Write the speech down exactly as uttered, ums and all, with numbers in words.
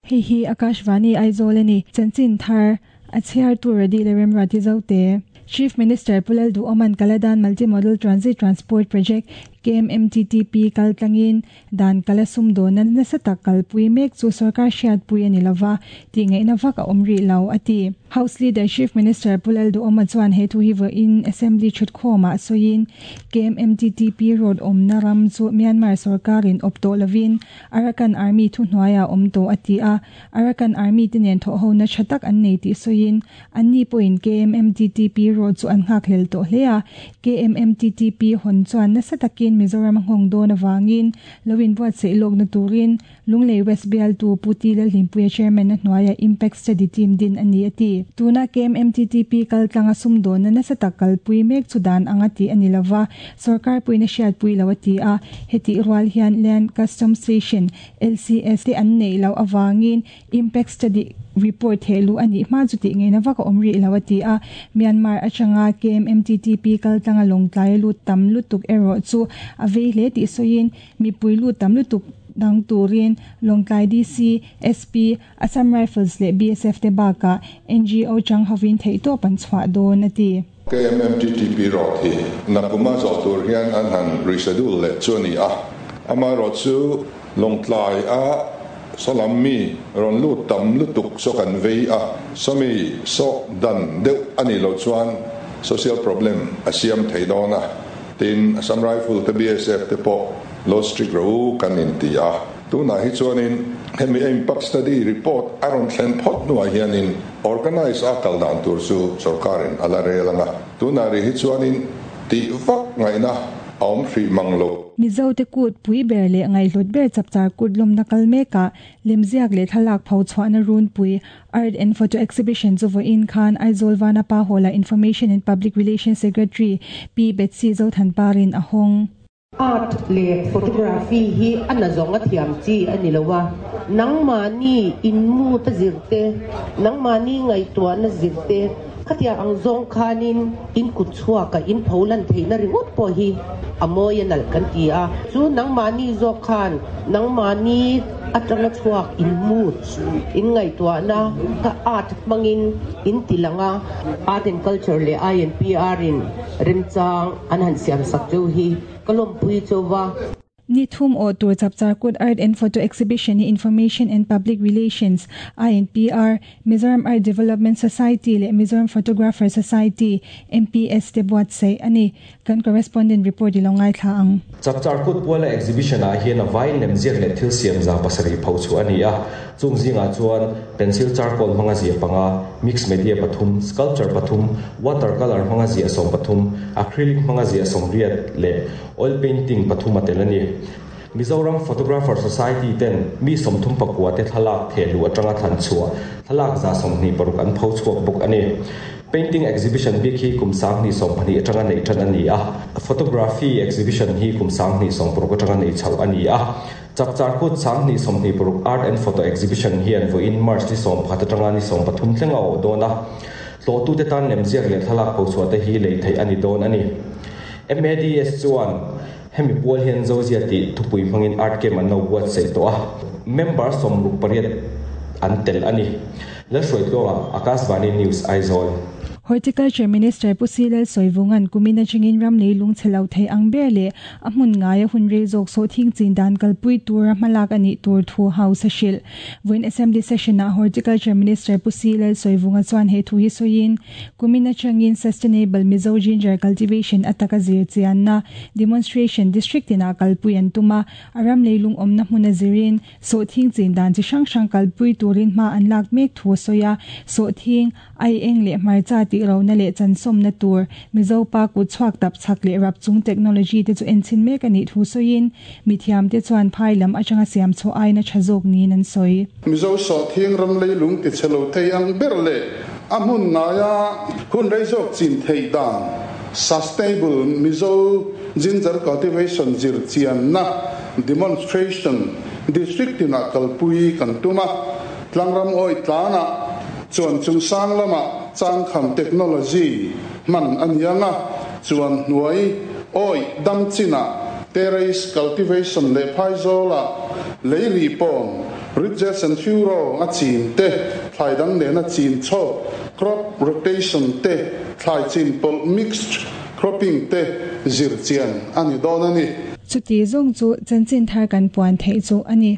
Hei hi Akashvani Aizawl a ni. Chanchin thar a chhiar tu Radi le Remruati Zote. Chief Minister Pu Lalduhoma'n Kaladan Multimodal Transit Transport Project K M M T T P kaltlangin dan kala sumdawnna nasa tak kalpui mek chu sarkar hriatpui a ni lova, tih ngaihna vak a awm rih lo a ti. House Leader Chief Minister Pu Lalduhoma chuan he thu hi vawiin Assembly thutkhawmah sawiin K M M T T P road awmna ram chu Myanmar sarkarin awp tawh lovin Arakan Army thu hnuaiah awm tawh a ti a. Arakan Army te nen thawh hona tha tak an nei tih sawiin anni pawhin K M M T T P road chu an nghak hlel tawh hle a. K M M T T P hawn chuan nasa takin Mizoram a nghawng dawn awangin loin buatsaih lawkna turin Lunglei West bialtu Pu T Lalhlimpuia chairman a hnuaia Impact Study Team din a ni a ti. Tuna K M M T T P kaltlanga sumdawnna nasa tak kalpui mek chu dan anga ti ani lova, sarkar puina hriatpui lo a ti a. Heti rual hian Land Custom Station L C S te an nei lo awangin Impact Study report helu ani hma chu ti ngeina vaka awm rih lo a ti a. Myanmar atanga K M M T T P kaltlanga Lawngtlai lut tam lutuk erawh chu a vei hle tih sawiin mipui lut tam lutuk dang turin Lawngtlai D C, S P, Assam Rifles leh B S F te bakah N G O chang hovin theihtawp an chhuah dawn a ti. K M M T T P road hi nakuma zawh tur hian an han reschedule leh chu ani a. Ama ro chu Lawngtlai a salam mi ron lut tam lutuk so kan vei a, sawmi so dan deuh ani lo chuan social problem a siam thei dawn a. Tin, Assam Rifle te, B S F te pawh lo strict ro kan in ti a. Tunah hi chuanin hemi impact study report a rawn thlen phawt hnuah hianin organize a kal dan tur chu sarkarin ala rel anga. Tunah ri hi chuanin tih vak ngaihna a awm hrih mang lo. Mizo te kut pui ber le ngaihhlut ber Chapchar Kut lawmna kal meka lemziak leh thlalak pho chhuahna runpui Art and Photo Exhibition chu vawiin khan Aizawl Vanapa Hall-a Information and Public Relations Secretary P Betsy Zothanparin a hawng. Art le photography hi ana zonga thiam chi ani lowa. Nangmani in mu ta zirte, nangmani ngai tua na zirte, khatia ang zong khanin in kut chhuwa ka in pholan theina ringot po hi amoy nal kan ti a. Chu nangmani zo khan nangmani atanga chuak in mood in ngai tua na ka art mangin in tilanga. Art and Culture le I N P R in remchang an han siam sak chu hi kalom pui chowa. Ni thum o tur Chapchar Kut Art and Photo Exhibition ni Information and Public Relations, I N P R, Mizoram Art Development Society le Mizoram Photographer Society, M P S te buatsaih ani. Kan correspondent report i lo ngaithla ang. Chapchar Kut puala exhibition ah hian a vain lemziak leh thil siam za pasarih pho chu ani a. Chung zingah chuan pencil charcoal hmanga zia panga, mix media pathum, sculpture pathum, watercolor hmanga zia sawm pathum, acrylic hmanga zia sawmriat leh oil painting pathum a tel ani. Mizoram Photographer Society ten mi sawmthum pakua te thlalak thehlu atanga thlan chhuah thlalak za sawmhnih paruk an pho chhuak bawk ani. Painting exhibition bik hi kum sanghnih sawm pahnih atanga nei tan ani a. Photography exhibition hi kum sanghnih sawm paruk atanga nei chho ani a. Chapchar Kut sanghnih sawmhnih paruk Art and Photo Exhibition hian vawiin March ni sawm pakhat atanga ni sawm pathum thleng a awh dawn a. Tlawhtu te tan lemziak leh thlalak pho chhuah te hi lei theih ani dawn ani. M A D S chuan hemi pual hian Zozia tih thupui hmangin art camp an lo buatsaih tawh a, member sawmruk pariat an tel ani. Lalhruaitluanga, Akashvani News, Aizawl. Horticulture Minister Pu C Lalsawivunga'n kumina chingin ram leilung chhelo thei ang ber le a hmun ngai a hun rei zawk sawhthing chin dan kalpui tura hmalak ani tur thu house a hrilh. Vawiin Assembly session ah Horticulture Minister Pu C Lalsawivunga chuan he thu hi sawiin kumina changin Sustainable Mizo Ginger Cultivation ataka zir chianna demonstration district ina kalpui an tuma. A ram leilung awmna hmuna zirin sawhthing chin dan chi hrang hrang kalpui turin hma an lak mek thu sawi a. Sawhthing, ai eng leh hmarcha ti rona leh chansawm na tur Mizo pa kut chhuak tap chak leh rap chung technology te chu enchin mek ani thu sawiin mithiam te chuan phai lam atanga siam chaw aina tha zawk niin an sawi. Mizo sawhthing ram leilung ti chhelo thei ang ber le a hmun ngaia hun rei zawk chin thei dan Sustainable Mizo Ginger Cultivation zir chian na demonstration district ina kalpui kan tuma. Tlangram oi tlana chuan chung sang lama changkham technology man anianga, chuan hnuai oi dam china terrace cultivation le phaizola leili pon Ridges and furrow a chin te thlai dang nena chin chho crop rotation te thlai chin pol mixed cropping te zir chian ani don ani. Chuti zong chu chanchin thar kan puan thei chu ani.